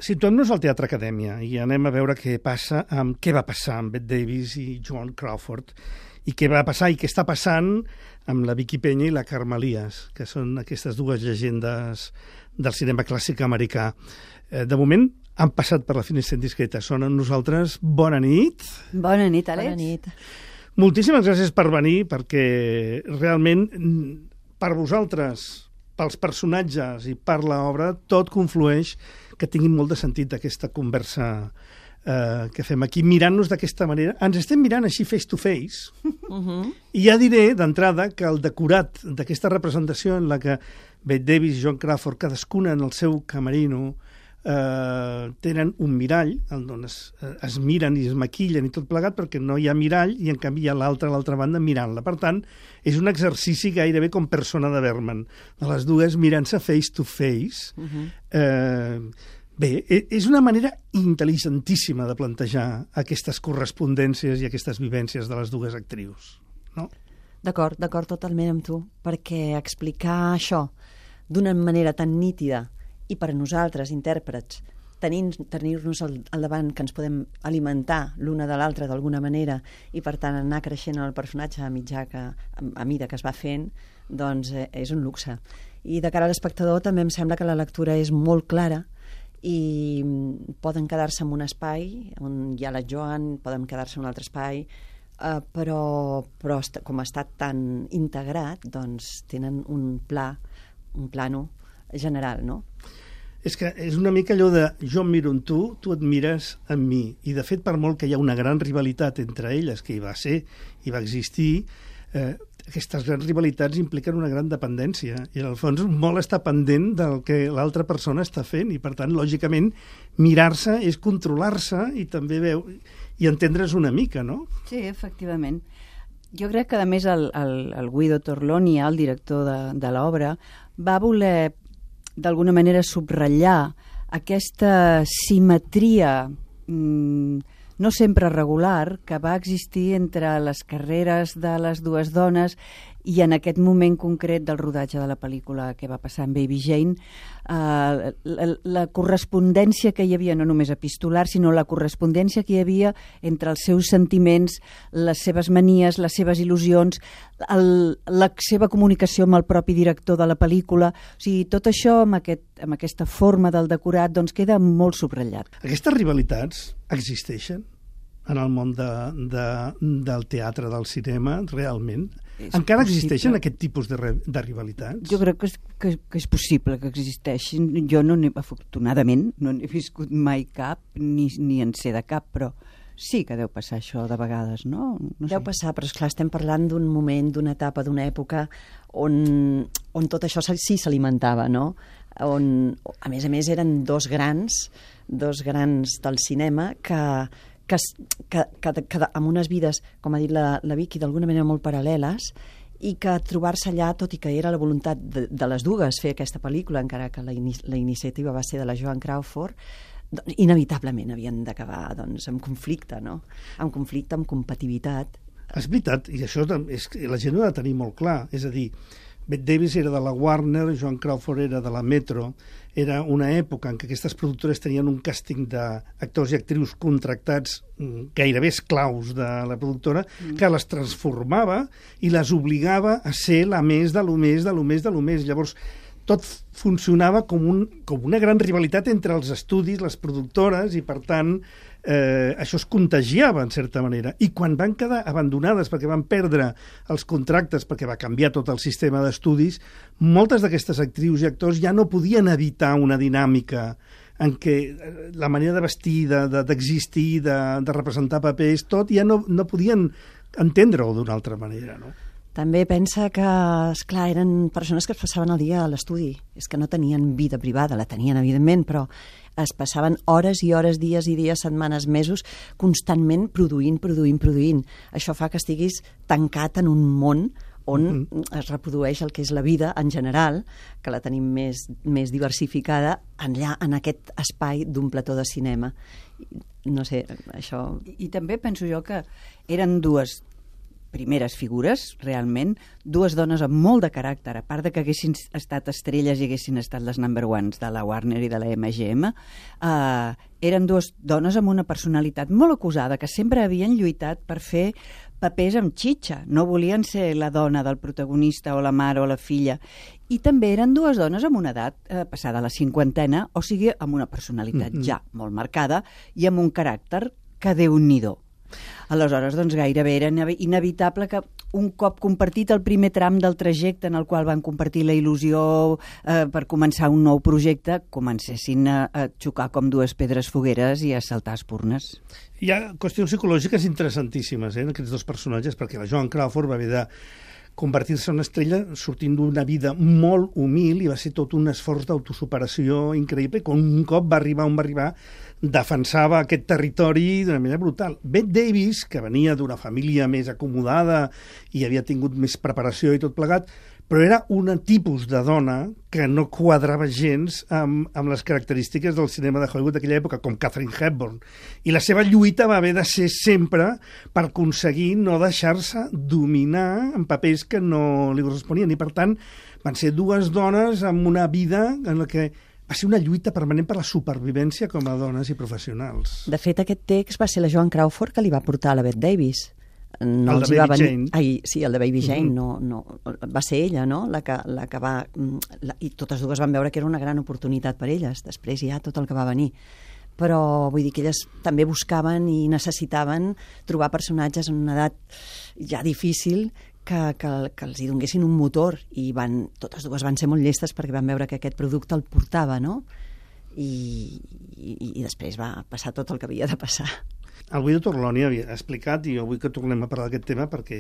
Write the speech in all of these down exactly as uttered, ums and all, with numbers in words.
Situem-nos al Teatre Acadèmia i anem a veure què passa amb què va passar amb Bette Davis i Joan Crawford i què va passar i què està passant amb la Vicky Peña i la Carme Elias, que són aquestes dues llegendes del cinema clàssic americà. Eh, de moment han passat per la finestra indiscreta. Són amb nosaltres. Bona nit. Bona nit, Àlex. Bona nit. Moltíssimes gràcies per venir, perquè realment per vosaltres, pels personatges i per l'obra, tot conflueix que tingui molt de sentit aquesta conversa eh, que fem aquí, mirant-nos d'aquesta manera. Ens estem mirant així face to face, uh-huh. I ja diré d'entrada que el decorat d'aquesta representació en la que Bette Davis i Joan Crawford, cadascuna en el seu camerino, eh, tenen un mirall on es, es miren i es maquillen i tot plegat, perquè no hi ha mirall i en canvi hi ha l'altra a l'altra banda mirant-la. Per tant, és un exercici gairebé com Persona de Bergman, de les dues mirant-se face to face. Uh-huh. eh, bé, és una manera intel·ligentíssima de plantejar aquestes correspondències i aquestes vivències de les dues actrius, no? D'acord, d'acord totalment amb tu, perquè explicar això d'una manera tan nítida i per a nosaltres, intèrprets, tenir-nos al, al davant que ens podem alimentar l'una de l'altra d'alguna manera i per tant anar creixent en el personatge a mitjà que, a, a mida que es va fent, doncs eh, és un luxe. I de cara a l'espectador també em sembla que la lectura és molt clara i poden quedar-se en un espai on hi ha la Joan, poden quedar-se en un altre espai, eh, però, però com ha estat tan integrat, doncs tenen un pla, un plano general, no? És que és una mica allò de jo em miro en tu, tu et mires en mi. I, de fet, per molt que hi ha una gran rivalitat entre elles, que hi va ser, hi va existir, eh, aquestes grans rivalitats impliquen una gran dependència. I, en el fons, molt està pendent del que l'altra persona està fent. I, per tant, lògicament, mirar-se és controlar-se i també veu i entendre's una mica, no? Sí, efectivament. Jo crec que, a més, el, el, el Guido Torlonia, el director de, de l'obra, va voler d'alguna manera subratllar aquesta simetria mmm, no sempre regular que va existir entre les carreres de les dues dones i en aquest moment concret del rodatge de la pel·lícula que va passar amb Baby Jane, eh, la, la correspondència que hi havia, no només epistolar, sinó la correspondència que hi havia entre els seus sentiments, les seves manies, les seves il·lusions, el, la seva comunicació amb el propi director de la pel·lícula. O sigui, tot això amb, aquest, amb aquesta forma del decorat doncs queda molt subratllat. Aquestes rivalitats existeixen en el món de, de, del teatre, del cinema, realment? És Encara possible. Existeixen aquest tipus de, de rivalitats? Jo crec que és, que, que és possible que existeixin. Jo, no afortunadament, no n'he viscut mai cap, ni, ni en sé de cap, però sí que deu passar això de vegades, no? no deu sé. passar, però esclar, estem parlant d'un moment, d'una etapa, d'una època on, on tot això sí s'alimentava, no? On, a més a més, eren dos grans, dos grans del cinema que... Que, que, que, que amb unes vides, com ha dit la, la Vicky, d'alguna manera molt paral·leles, i que trobar-se allà, tot i que era la voluntat de, de les dues fer aquesta pel·lícula, encara que la, in la iniciativa va ser de la Joan Crawford, doncs, inevitablement havien d'acabar doncs, amb conflicte, no? Amb conflicte, amb competitivitat. És veritat, i això és, la gent ho ha de tenir molt clar, és a dir, Bette Davis era de la Warner, Joan Crawford era de la Metro. Era una època en què aquestes productores tenien un càsting d'actors i actrius contractats gairebé esclaus de la productora, mm. que les transformava i les obligava a ser la més de lo més, de lo més, de lo més. Llavors, tot funcionava com, un, com una gran rivalitat entre els estudis, les productores, i per tant eh, això es contagiava en certa manera. I quan van quedar abandonades perquè van perdre els contractes, perquè va canviar tot el sistema d'estudis, moltes d'aquestes actrius i actors ja no podien evitar una dinàmica en què la manera de vestir, d'existir, de, de, de representar papers, tot ja no, no podien entendre-ho d'una altra manera, no? També pensa que, esclar, eren persones que es passaven el dia a l'estudi. És que no tenien vida privada, la tenien, evidentment, però es passaven hores i hores, dies i dies, setmanes, mesos, constantment produint, produint, produint. Això fa que estiguis tancat en un món on mm-hmm. es reprodueix el que és la vida en general, que la tenim més, més diversificada, enllà en aquest espai d'un plató de cinema. No sé, això... I, i també penso jo que eren dues primeres figures, realment, dues dones amb molt de caràcter, a part de que haguessin estat estrelles i haguessin estat les number ones de la Warner i de la M G M, eh, eren dues dones amb una personalitat molt acusada, que sempre havien lluitat per fer papers amb xitxa, no volien ser la dona del protagonista o la mare o la filla, i també eren dues dones amb una edat eh, passada la cinquantena, o sigui, amb una personalitat mm-hmm. ja molt marcada i amb un caràcter que Déu-n'hi-do. Aleshores, doncs, gairebé era inevitable que un cop compartit el primer tram del trajecte en el qual van compartir la il·lusió eh, per començar un nou projecte, comencessin a, a xocar com dues pedres fogueres i a saltar espurnes. Hi ha qüestions psicològiques interessantíssimes eh, en aquests dos personatges, perquè la Joan Crawford va haver de convertir-se en una estrella sortint d'una vida molt humil i va ser tot un esforç d'autosuperació increïble. Quan un cop va arribar on va arribar, defensava aquest territori d'una manera brutal. Bette Davis, que venia d'una família més acomodada i havia tingut més preparació i tot plegat, però era un tipus de dona que no quadrava gens amb, amb les característiques del cinema de Hollywood d'aquella època, com Katharine Hepburn. I la seva lluita va haver de ser sempre per aconseguir no deixar-se dominar en papers que no li corresponien. I, per tant, van ser dues dones amb una vida en la que va ser una lluita permanent per la supervivència com a dones i professionals. De fet, aquest text va ser la Joan Crawford que li va portar a la Bette Davis. No el de Baby venir... Jane. Ai, sí, el de Baby Jane, uh-huh. no, no, va ser ella, no?, la que, la que va... La, i totes dues van veure que era una gran oportunitat per elles, després ja tot el que va venir. Però vull dir que elles també buscaven i necessitaven trobar personatges en una edat ja difícil que, que, que els hi donessin un motor, i van, totes dues van ser molt llestes perquè van veure que aquest producte el portava, no? I, i, i després va passar tot el que havia de passar. El Guido Torloni havia explicat, i jo vull que tornem a parlar d'aquest tema perquè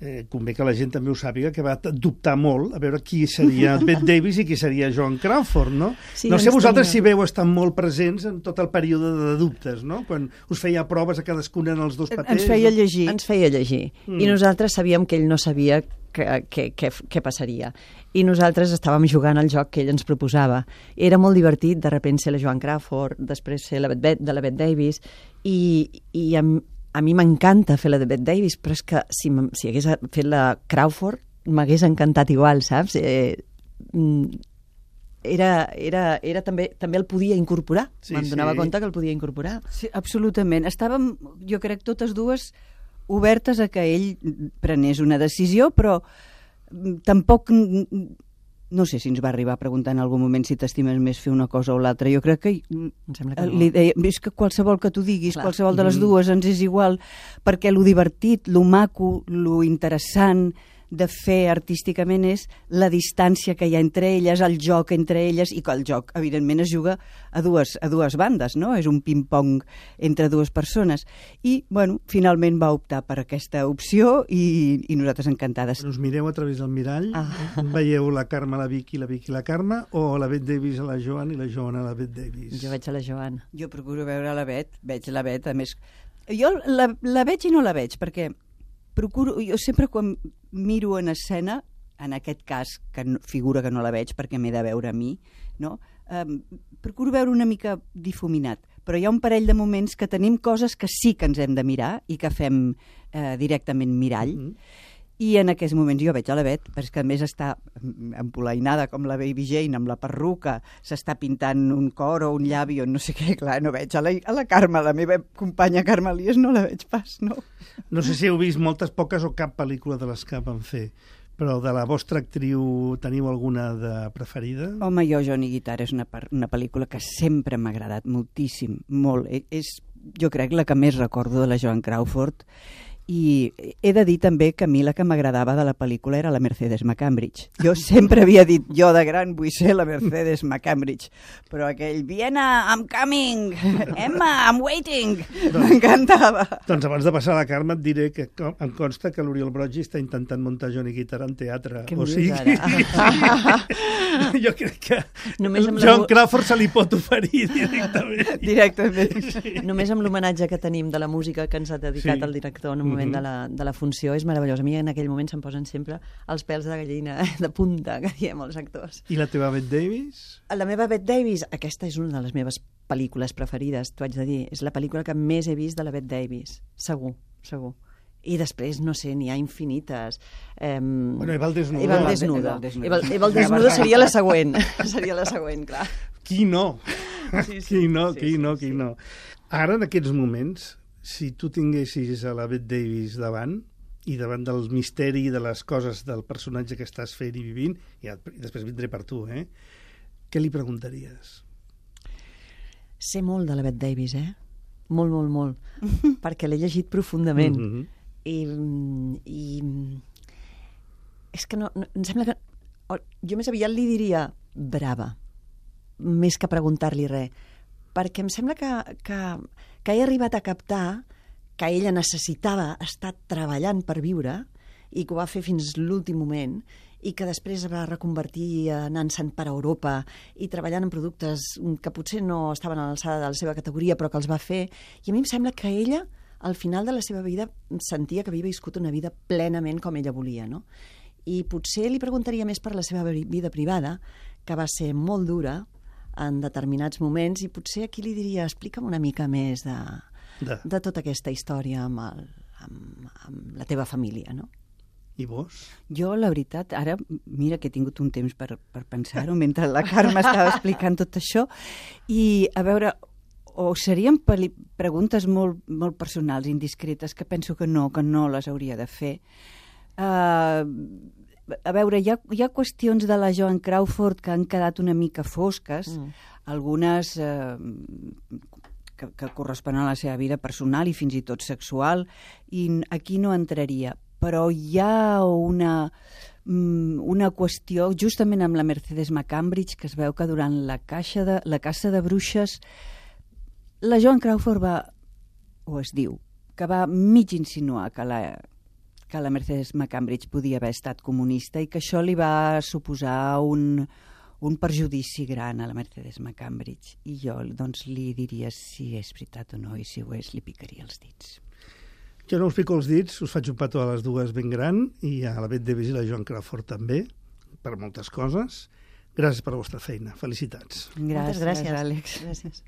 eh, convé que la gent també ho sàpiga, que va dubtar molt a veure qui seria Bette Davis i qui seria Joan Crawford, no? Sí, no sé vosaltres tenia... si veu estar molt presents en tot el període de dubtes, no? Quan us feia proves a cadascuna en els dos papers. Ens feia llegir. Ens feia llegir. Mm. I nosaltres sabíem que ell no sabia què passaria. I nosaltres estàvem jugant al joc que ell ens proposava. Era molt divertit, de repente ser la Joan Crawford, després ser la Bette, de la Bette Davis, i, i a, a mi m'encanta fer la de Bette Davis, però és que si, si hagués fet la Crawford m'hagués encantat igual, saps? Eh, era, era, era també, també el podia incorporar. Sí, Me'n donava sí. compte que el podia incorporar. Sí, absolutament. Estàvem, jo crec, totes dues obertes a que ell prenés una decisió, però tampoc, no sé si ens va arribar a preguntar en algun moment si t'estimes més fer una cosa o l'altra. Jo crec que, em sembla que no. Li deia, és que qualsevol que tu diguis, Clar. qualsevol de les dues ens és igual, perquè lo divertit, lo maco, lo interessant de fer artísticament és la distància que hi ha entre elles, el joc entre elles, i que el joc, evidentment, es juga a dues, a dues bandes, no? És un ping-pong entre dues persones. I, bueno, finalment va optar per aquesta opció i, i nosaltres encantades. Us mireu a través del mirall, ah. veieu la Carme a la Vicky, la Vicky a la Carme, o la Bette Davis a la Joan i la Joan a la Bette Davis? Jo veig a la Joan. Jo procuro veure la Bette, veig la Bette, a més... Jo la, la veig i no la veig, perquè procuro, jo sempre quan miro en escena, en aquest cas, que no, figura que no la veig perquè m'he de veure a mi, no? Um, procuro veure una mica difuminat, però hi ha un parell de moments que tenim coses que sí que ens hem de mirar i que fem eh, directament mirall, mm-hmm. i en aquests moments jo veig a la Bette, perquè a més està empolainada com la Baby Jane, amb la perruca, s'està pintant un cor o un llavi o no sé què, clar, no veig a la, a la Carme, la meva companya Carme Elias, no la veig pas, no. No sé si heu vist moltes, poques o cap pel·lícula de les que van fer, però de la vostra actriu teniu alguna de preferida? Home, jo, Johnny Guitar, és una, una pel·lícula que sempre m'ha agradat moltíssim, molt. És, jo crec, la que més recordo de la Joan Crawford. I he de dir també que a mi la que m'agradava de la pel·lícula era la Mercedes McCambridge. Jo sempre havia dit, jo de gran vull ser la Mercedes McCambridge, però aquell, Vienna, I'm coming, Emma, I'm waiting, doncs, m'encantava. Doncs abans de passar a la Carme et diré que em consta que l'Oriol Broggi està intentant muntar Johnny Guitar en teatre. Què o em sigui, dius ara? Jo crec que Només amb Joan la... Crawford se li pot oferir directament. Directament. Sí. Només amb l'homenatge que tenim de la música que ens ha dedicat Sí. el director en un moment de la, de la funció és meravellós. A mi en aquell moment se'm posen sempre els pèls de gallina de punta, que diem els actors. I la teva Bette Davis? La meva Bette Davis, aquesta és una de les meves pel·lícules preferides, t'ho haig de dir. És la pel·lícula que més he vist de la Bette Davis, segur, segur. I després, no sé, n'hi ha infinites. Eh, Bueno, Eva el desnudo. Eva el Eva desnudo. el desnudo. Eva, el- Eva el desnudo seria la següent. Seria la següent, clar. Qui no? Sí, sí. Qui no, Sí, qui sí, no, sí. qui no. Ara, en aquests moments, si tu tinguessis a la Bette Davis davant, i davant del misteri de les coses del personatge que estàs fent i vivint, i, i després vindré per tu, eh? Què li preguntaries? Sé molt de la Bette Davis, eh? Molt, molt, molt. Perquè l'he llegit profundament. Mm -hmm. I, i és que no, no, em sembla que o, jo més aviat li diria brava, més que preguntar-li res, perquè em sembla que, que, que he arribat a captar que ella necessitava estar treballant per viure i que ho va fer fins l'últim moment i que després es va reconvertir anant-se'n per Europa i treballant en productes que potser no estaven a l'alçada de la seva categoria però que els va fer, i a mi em sembla que ella al final de la seva vida sentia que havia viscut una vida plenament com ella volia, no? I potser li preguntaria més per la seva vida privada, que va ser molt dura en determinats moments, i potser aquí li diria, explica'm una mica més de, De. de tota aquesta història amb, el, amb, amb la teva família, no? I vos? Jo, la veritat, ara, mira que he tingut un temps per, per pensar-ho mentre la Carme estava explicant tot això, i a veure, o serien preguntes molt, molt personals, indiscretes, que penso que no, que no les hauria de fer. Uh, a veure, hi ha, hi ha qüestions de la Joan Crawford que han quedat una mica fosques, mm. algunes uh, que, que corresponen a la seva vida personal i fins i tot sexual, i aquí no entraria. Però hi ha una, una qüestió, justament amb la Mercedes McCambridge, que es veu que durant la, caixa de, la caça de bruixes la Joan Crawford va, o es diu, que va mig insinuar que la, que la Mercedes McCambridge podia haver estat comunista i que això li va suposar un, un perjudici gran a la Mercedes McCambridge. I jo doncs, li diria si és veritat o no, i si ho és li picaria els dits. Jo no us pico els dits, us faig un petó a les dues ben gran, i a la Bette Davis i la Joan Crawford també, per moltes coses. Gràcies per la vostra feina. Felicitats. Gràcies, Moltes gràcies, Àlex. Gràcies.